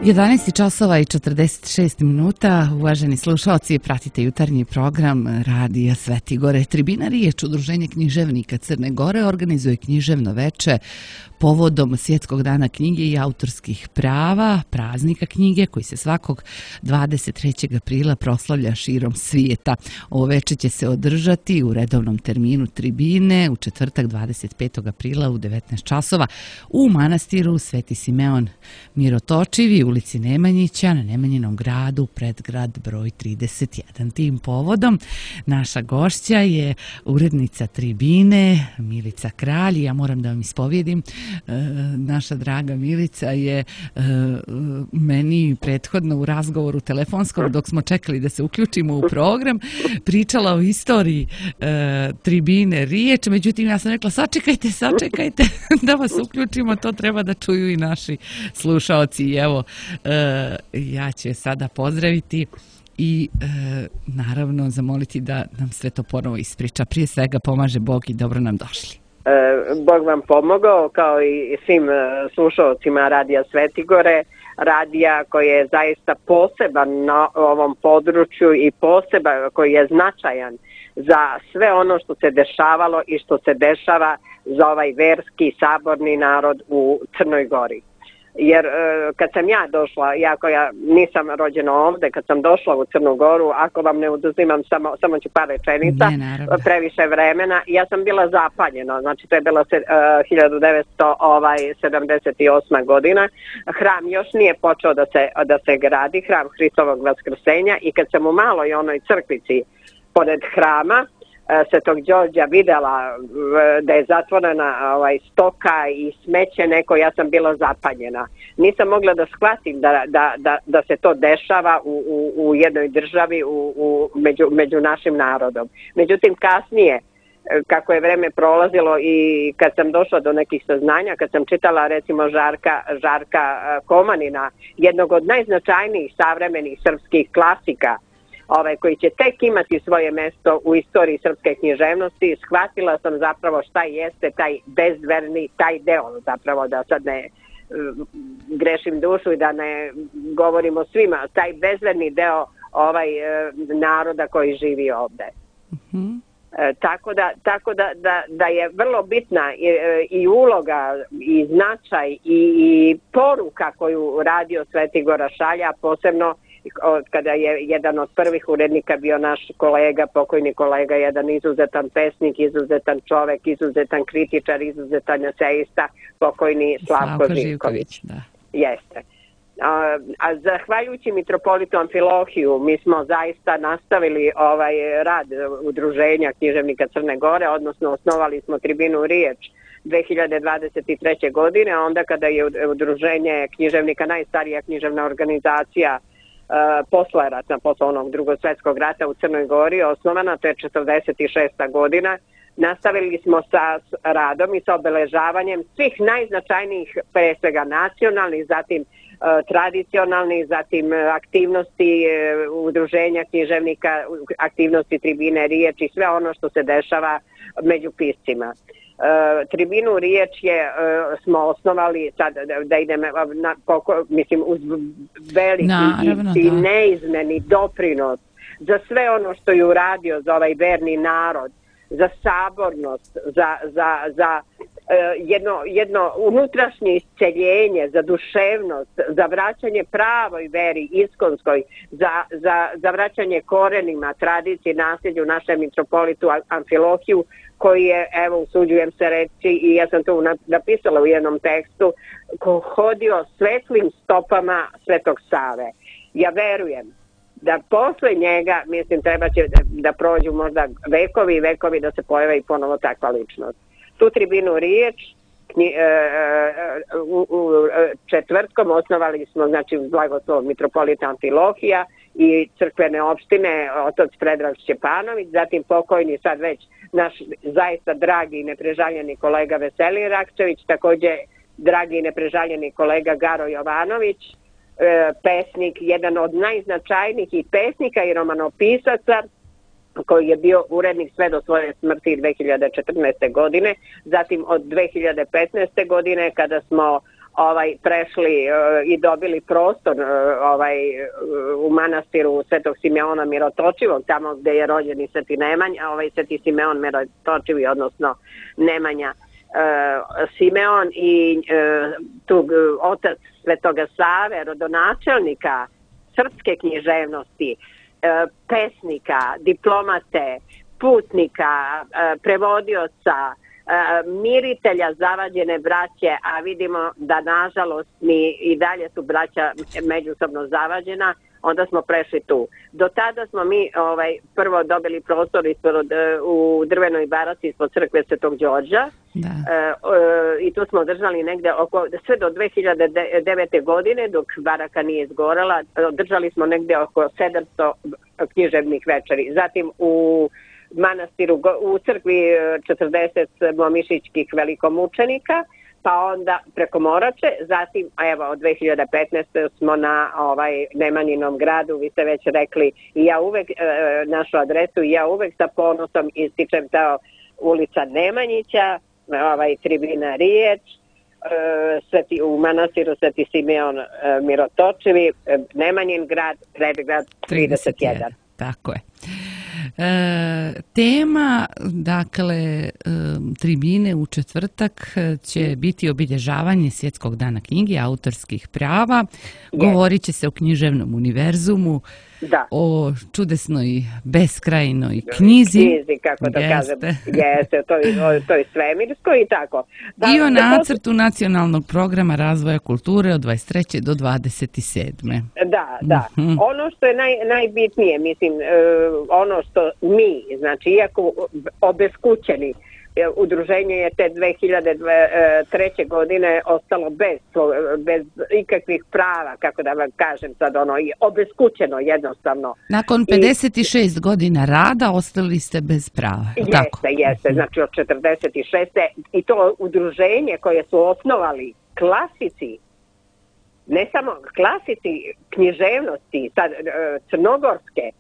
11 časova i 46 minuta, uvaženi slušalci, pratite jutarnji program Radija Sveti Gore. Tribina Riječ, Udruženje književnika Crne Gore, organizuje književno veče povodom Svjetskog dana knjige i autorskih prava, praznika knjige koji se svakog 23. aprila proslavlja širom svijeta. Ovo veče će se održati u redovnom terminu tribine u četvrtak 25. aprila u 19 časova u manastiru Sveti Simeon Mirotočivi, ulici Nemanjića, na Nemanjinom gradu, predgrad broj 31. Tim povodom naša gošća je urednica tribine Milica Kralj. Ja moram da vam ispovjedim, naša draga Milica je meni prethodno u razgovoru telefonskom, dok smo čekali da se uključimo u program, pričala o istoriji tribine Riječ. Međutim, ja sam rekla sačekajte da vas uključimo, to treba da čuju i naši slušaoci. I evo, ja ću je sada pozdraviti i naravno zamoliti da nam sve to ponovo ispriča. Prije svega pomaže Bog i dobro nam došli. Bog vam pomogao, kao i svim slušalcima Radija Sveti Gore, radija koji je zaista poseban na ovom području i poseban koji je značajan za sve ono što se dešavalo i što se dešava za ovaj verski saborni narod u Crnoj Gori. Jer kad sam ja došla, iako ja nisam rođena ovdje, kad sam došla u Crnu Goru, ako vam ne oduzimam, samo ću par rečenica, previše vremena, ja sam bila zapaljena, znači to je bilo 1978. godina, hram još nije počeo da se gradi, hram Hristovog Vaskrsenja, i kad sam u maloj onoj crkvici pored hrama Svetog Đorđa videla da je zatvorena stoka i smeće neko, ja sam bila zapanjena. Nisam mogla da shvatim da se to dešava u jednoj državi među našim narodom. Međutim, kasnije, kako je vreme prolazilo i kad sam došla do nekih saznanja, kad sam čitala recimo Žarka Komanina, jednog od najznačajnijih savremenih srpskih klasika, koji će tek imati svoje mjesto u istoriji srpske književnosti, shvatila sam zapravo šta jeste taj bezverni, taj deo, zapravo da sad ne grešim dušu i da ne govorimo svima, taj bezverni deo naroda koji živi ovdje. Mm-hmm. Tako da je vrlo bitna i uloga i značaj i poruka koju Radio Sveti Gora šalja, posebno kada je jedan od prvih urednika bio naš kolega, pokojni kolega, jedan izuzetan pesnik, izuzetan čovek, izuzetan kritičar, izuzetan eseista, pokojni Slavko Živković. Da. Jeste. A zahvaljujući mitropolitu Amfilohiju mi smo zaista nastavili rad Udruženja književnika Crne Gore, odnosno osnovali smo tribinu Riječ 2023. godine, a onda kada je Udruženje književnika, najstarija književna organizacija posle onog Drugog svjetskog rata u Crnoj Gori osnovana, to je 46. godina, nastavili smo sa radom i sa obeležavanjem svih najznačajnijih, pre svega nacionalnih, zatim tradicionalnih, zatim aktivnosti Udruženja književnika, aktivnosti tribine Riječ i sve ono što se dešava među piscima. Tribinu Riječ smo osnovali sad da idemo uz veliki i neizmeni doprinos za sve ono što je uradio za ovaj verni narod, za sabornost, za jedno unutrašnje isceljenje, za duševnost, za vraćanje pravoj veri iskonskoj, za vraćanje korenima, tradiciji, nasljeđu našem mitropolitu Amfilohiju, koji je, evo, usuđujem se reći, i ja sam to napisala u jednom tekstu, hodio svetlim stopama Svetog Save. Ja verujem da posle njega, mislim, treba će da prođu možda vekovi i vekovi da se pojave i ponovo takva ličnost. Tu tribinu Riječ četvrtkom osnovali smo, znači, uz blagoslov mitropolita Amfilohija i crkvene opštine otac Predrag Šćepanović, zatim pokojni sad već naš zaista dragi i neprežaljeni kolega Veselin Rakčević, također dragi i neprežaljeni kolega Garo Jovanović, pesnik, jedan od najznačajnijih i pesnika i romanopisaca, koji je bio urednik sve do svoje smrti 2014. godine, zatim od 2015. godine kada smo prešli i dobili prostor u manastiru Svetog Simeona Mirotočivog, tamo gde je rođen i Sveti Nemanja, Sveti Simeon Mirotočivi, odnosno Nemanja Simeon i otac Svetoga Save, rodonačelnika srpske književnosti, pesnika, diplomate, putnika, prevodioca, miritelja zavađene braće, a vidimo da nažalost mi i dalje su braća međusobno zavađena, onda smo prešli tu. Do tada smo mi prvo dobili prostor u drvenoj baraci ispod crkve Svetog Đorđa i tu smo držali negde sve do 2009. godine, dok baraka nije izgorela, držali smo negde oko 700 književnih večeri. Zatim u manastiru, u crkvi 40 momišićkih velikomučenika, pa onda preko Morače, zatim od 2015. smo na Nemanjinom gradu, vi ste već rekli, i ja uvek našu adresu, i ja uvek sa ponosom ističem ta ulica Nemanjića, tribina Riječ, u manastiru Sveti Simeon Mirotočivi, Nemanjin grad, Predgrad 31. Tako je. Tema, dakle, tribine u četvrtak će biti obilježavanje Svjetskog dana knjige, autorskih prava. Govorit će se o književnom univerzumu, o čudesnoj beskrajnoj knjizi, kako da kažem, jeste, to je svemirsko i tako. I o nacrtu nacionalnog programa razvoja kulture od 23. do 27. Da. Ono što je najbitnije, mislim, ono što mi, znači, iako obeskućeni, udruženje je te 2003. godine ostalo bez ikakvih prava, kako da vam kažem sad, obeskućeno jednostavno. Nakon 56 godina rada ostali ste bez prava. Jeste, znači od 46. I to udruženje koje su osnovali klasici, ne samo klasici književnosti, sad, crnogorske,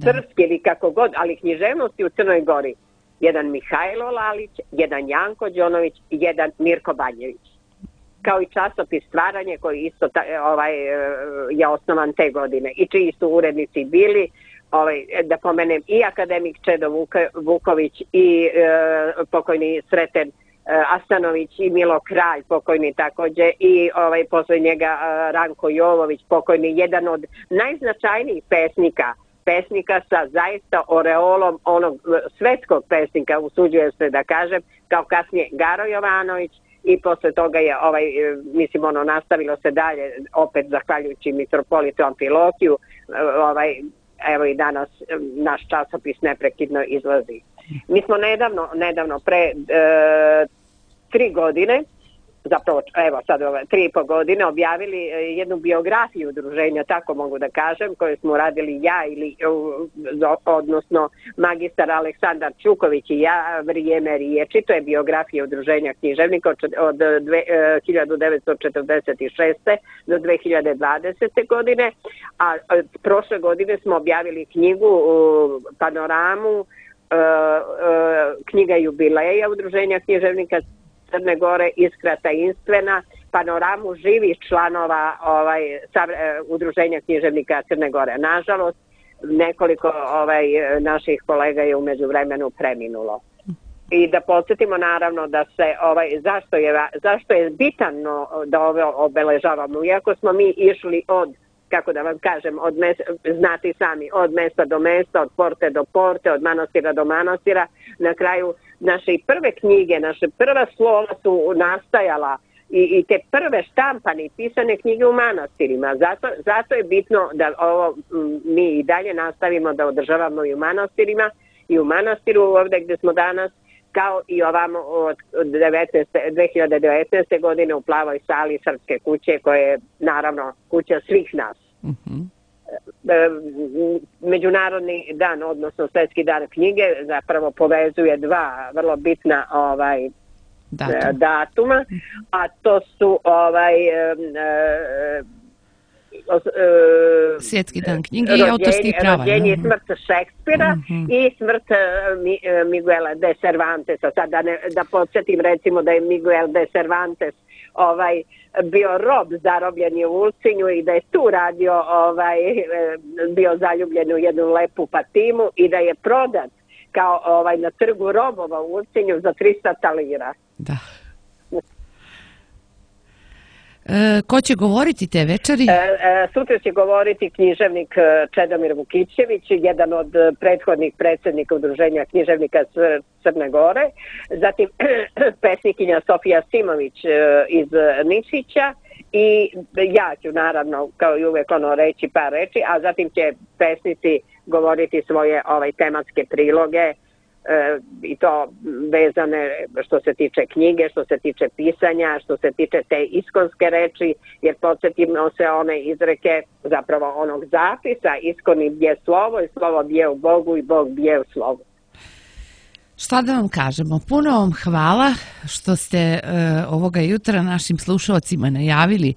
srpske ili kako god, ali književnosti u Crnoj Gori. Jedan Mihajlo Lalić, jedan Janko Đonović i jedan Mirko Banjević. Kao i časopis Stvaranje koji isto je osnovan te godine i čiji su urednici bili, da pomenem, i akademik Čedo Vuković i pokojni Sreten Asanović i Milo Kralj, pokojni takođe, i posle njega Ranko Jovović, pokojni, jedan od najznačajnijih pesnika sa zaista oreolom onog svetskog pesnika, usuđujem se da kažem, kao kasnije Garo Jovanović, i posle toga je nastavilo se dalje, opet zahvaljujući mitropolitu Amfilohiju, evo i danas naš časopis neprekidno izlazi. Mi smo nedavno pre 3 godine, zapravo sad 3,5 godine, objavili jednu biografiju udruženja, tako mogu da kažem, koju smo radili ja odnosno magistar Aleksandar Čuković i ja, Vrijeme riječi. To je biografija udruženja književnika od 1946. do 2020. godine, a prošle godine smo objavili knjigu, panoramu, knjiga jubileja udruženja književnika Crne Gore, Iskra tajinstvena, panoramu živih članova udruženja književnika Crne Gore. Nažalost, nekoliko naših kolega je u međuvremenu preminulo. I da podsjetimo naravno da se zašto je bitno da ovo obeležavamo, iako smo mi išli kako da vam kažem, znate i sami, od mesta do mesta, od porte do porte, od manastira do manastira. Na kraju naše prve knjige, naše prva slova su nastajala i te prve štampane i pisane knjige u manastirima. Zato je bitno da ovo mi i dalje nastavimo da održavamo i u manastirima, i u manastiru ovde gde smo danas, kao i ovamo od 2019. godine u Plavoj sali Srpske kuće, koja je naravno kuća svih nas. Međunarodni dan, odnosno Svjetski dan knjige, zapravo povezuje dva vrlo bitna datuma, a to su Svjetski dan knjige i autorskih prava. Rođenje i smrt Šekspira i smrt Miguela de Cervantesa. Sad da podsjetim, recimo, da je Miguel de Cervantes bio rob zarobljen u Ulcinju i da je tu radio, bio zaljubljen u jednu lepu Patimu i da je prodat kao na trgu robova u Ulcinju za 300 talira. Da. Ko će govoriti te večeri? Sutra će govoriti književnik Čedomir Vukićević, jedan od prethodnih predsjednika Udruženja književnika Crne Gore, zatim pesnikinja Sofija Simović iz Nišića i ja ću naravno kao i uvijek reći par reči, a zatim će pesnici govoriti svoje tematske priloge i to vezane što se tiče knjige, što se tiče pisanja, što se tiče te iskonske reči, jer podsjetimo se one izreke, zapravo onog zapisa, iskoni bje slovo i slovo bje u Bogu i Bog bje u slovu. Šta da vam kažemo? Puno vam hvala što ste ovoga jutra našim slušalcima najavili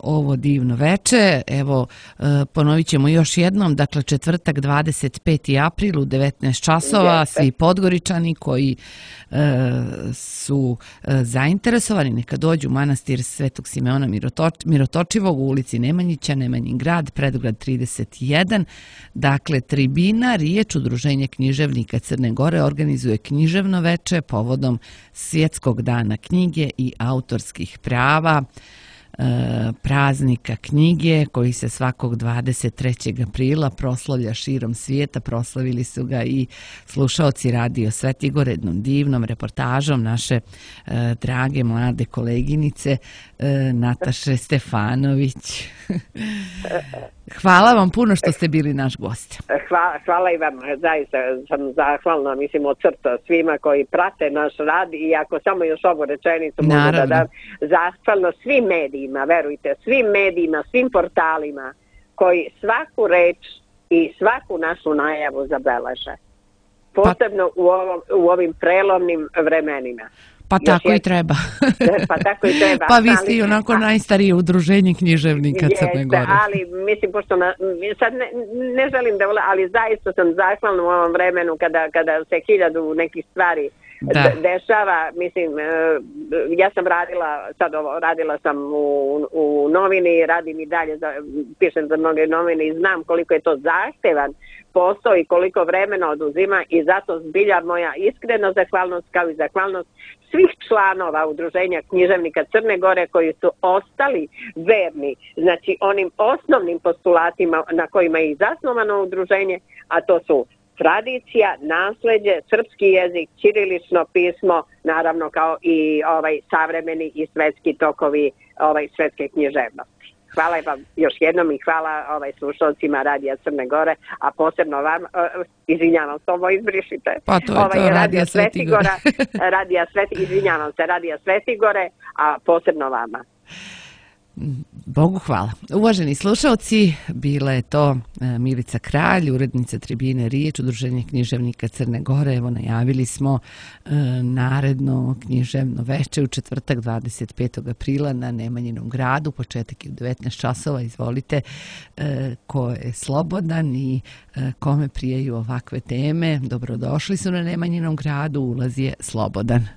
ovo divno veče. Evo, ponovit ćemo još jednom, dakle četvrtak 25. april u 19 časova, svi Podgoričani koji su zainteresovani neka dođu u manastir Svetog Simeona Mirotočivog u ulici Nemanjića, Nemanjin grad, Predograd 31. Dakle, tribina, riječ Udruženje književnika Crne Gore organizuje književno veče povodom Svjetskog dana knjige i autorskih prava, praznika knjige koji se svakog 23. aprila proslavlja širom svijeta. Proslavili su ga i slušaoci Radio Svetigor jednom divnom reportažom naše drage mlade koleginice Nataše Stefanović. Hvala vam puno što ste bili naš gost. Hvala i vam, zaista sam zahvalna, mislim, od srca svima koji prate naš rad i ako samo još ovu rečenicu mogu da dam, zahvalno svim medijima, verujte, svim medijima, svim portalima koji svaku reč i svaku našu najavu zabeleže. Posebno u ovim prelomnim vremenima. Pa tako i treba. Pa tako i treba. Pa vi ste i onako najstarije udruženje književnika Crne Gore. Ali mislim, pošto sad ne želim da, ali zaista sam zahvalna u ovom vremenu kada se 1000 nekih stvari dešava. Mislim, ja sam radila sam u novini, radim i dalje, pišem za mnoge novine i znam koliko je to zahtevan posao i koliko vremena oduzima i zato zbilja moja iskrena zahvalnost kao i zahvalnost svih članova Udruženja književnika Crne Gore koji su ostali verni, znači onim osnovnim postulatima na kojima je i zasnovano udruženje, a to su tradicija, nasleđe, srpski jezik, ćirilično pismo, naravno kao i savremeni i svetski tokovi svetske književnosti. Hvala vam još jednom i hvala slušalcima Radija Crne Gore, a posebno vam, izvinjavam se, ovo izbrišite. Pa to je to, Radija Svetigora. Izvinjavam se, Radija Svetigore, a posebno vama. Bogu hvala. Uvaženi slušalci, bila je to Milica Kralj, urednica tribine Riječ, Udruženje književnika Crne Gore. Evo, najavili smo naredno književno veče u četvrtak 25. aprila na Nemanjinom gradu. Početak je u 19 časova. Izvolite, ko je slobodan i kome prijeju ovakve teme, dobrodošli su na Nemanjinom gradu. Ulaz je slobodan.